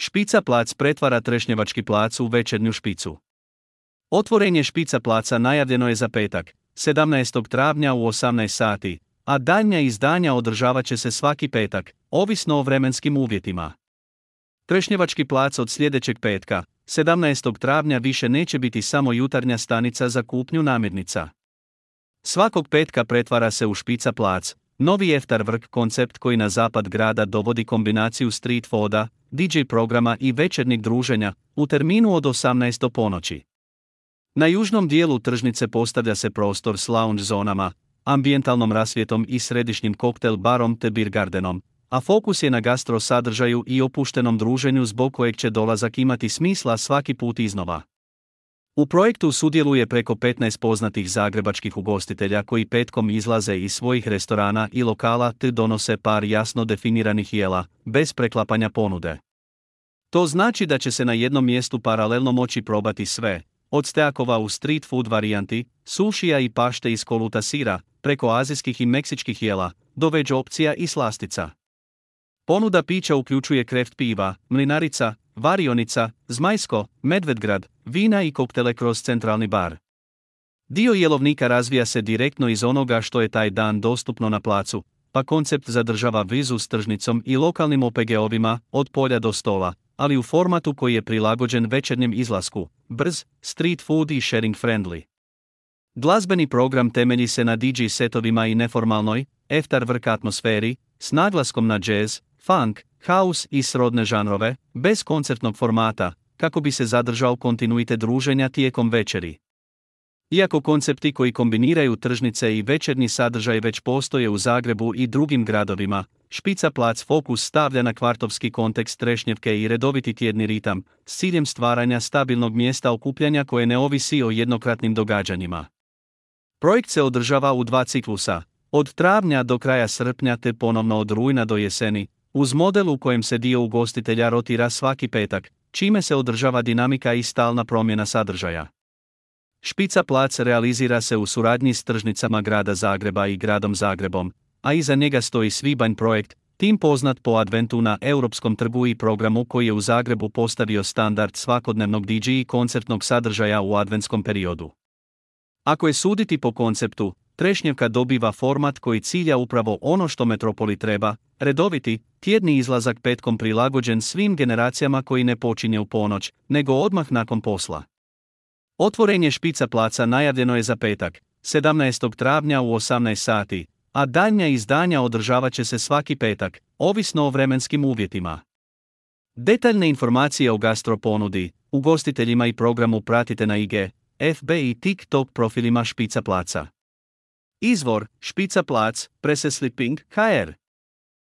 Špica plac pretvara Trešnjevački plac u večernju špicu. Otvorenje Špica placa najavljeno je za petak, 17. travnja u 18 sati, a daljnja izdanja održavat će se svaki petak, ovisno o vremenskim uvjetima. Trešnjevački plac od sljedećeg petka, 17. travnja više neće biti samo jutarnja stanica za kupnju namirnica. Svakog petka pretvara se u Špica plac, novi afterwork koncept koji na zapad grada dovodi kombinaciju street fooda, DJ programa i večernjeg druženja, u terminu od 18 do ponoći. Na južnom dijelu tržnice postavlja se prostor s lounge zonama, ambijentalnom rasvjetom i središnjim koktel barom te beer gardenom, a fokus je na gastro sadržaju i opuštenom druženju zbog kojeg će dolazak imati smisla svaki put iznova. U projektu sudjeluje preko 15 poznatih zagrebačkih ugostitelja koji petkom izlaze iz svojih restorana i lokala te donose par jasno definiranih jela, bez preklapanja ponude. To znači da će se na jednom mjestu paralelno moći probati sve, od steakova u street food varijanti, sušija i pašte iz koluta sira, preko azijskih i meksičkih jela, do veg opcija i slastica. Ponuda pića uključuje kreft piva, mlinarica, varionica, zmajsko, medvedgrad, vina i koktele kroz centralni bar. Dio jelovnika razvija se direktno iz onoga što je taj dan dostupno na placu, pa koncept zadržava vezu s tržnicom i lokalnim OPG-ovima, od polja do stola, ali u formatu koji je prilagođen večernjem izlasku, brz, street food i sharing friendly. Glazbeni program temelji se na DJ setovima i neformalnoj, afterwork atmosferi, s naglaskom na jazz, funk, house i srodne žanrove, bez koncertnog formata, kako bi se zadržao kontinuitet druženja tijekom večeri. Iako koncepti koji kombiniraju tržnice i večernji sadržaj već postoje u Zagrebu i drugim gradovima, Špica plac fokus stavlja na kvartovski kontekst Trešnjevke i redoviti tjedni ritam, s ciljem stvaranja stabilnog mjesta okupljanja koje ne ovisi o jednokratnim događanjima. Projekt se održava u 2 ciklusa, od travnja do kraja srpnja te ponovno od rujna do jeseni, uz model u kojem se dio ugostitelja rotira svaki petak, čime se održava dinamika i stalna promjena sadržaja. Špica plac realizira se u suradnji s tržnicama grada Zagreba i gradom Zagrebom, a iza njega stoji Svibanj projekt, tim poznat po adventu na Europskom trgu i programu koji je u Zagrebu postavio standard svakodnevnog DJ i koncertnog sadržaja u adventskom periodu. Ako je suditi po konceptu, Trešnjevka dobiva format koji cilja upravo ono što metropoli treba, redoviti, tjedni izlazak petkom prilagođen svim generacijama koji ne počinje u ponoć, nego odmah nakon posla. Otvorenje Špica placa najavljeno je za petak, 17. travnja u 18 sati, a daljnja izdanja održavat će se svaki petak, ovisno o vremenskim uvjetima. Detaljne informacije o gastro ponudi, ugostiteljima i programu pratite na IG, FB i TikTok profilima Špica placa. Izvor: Špica plac, Presse Sleeping, HR.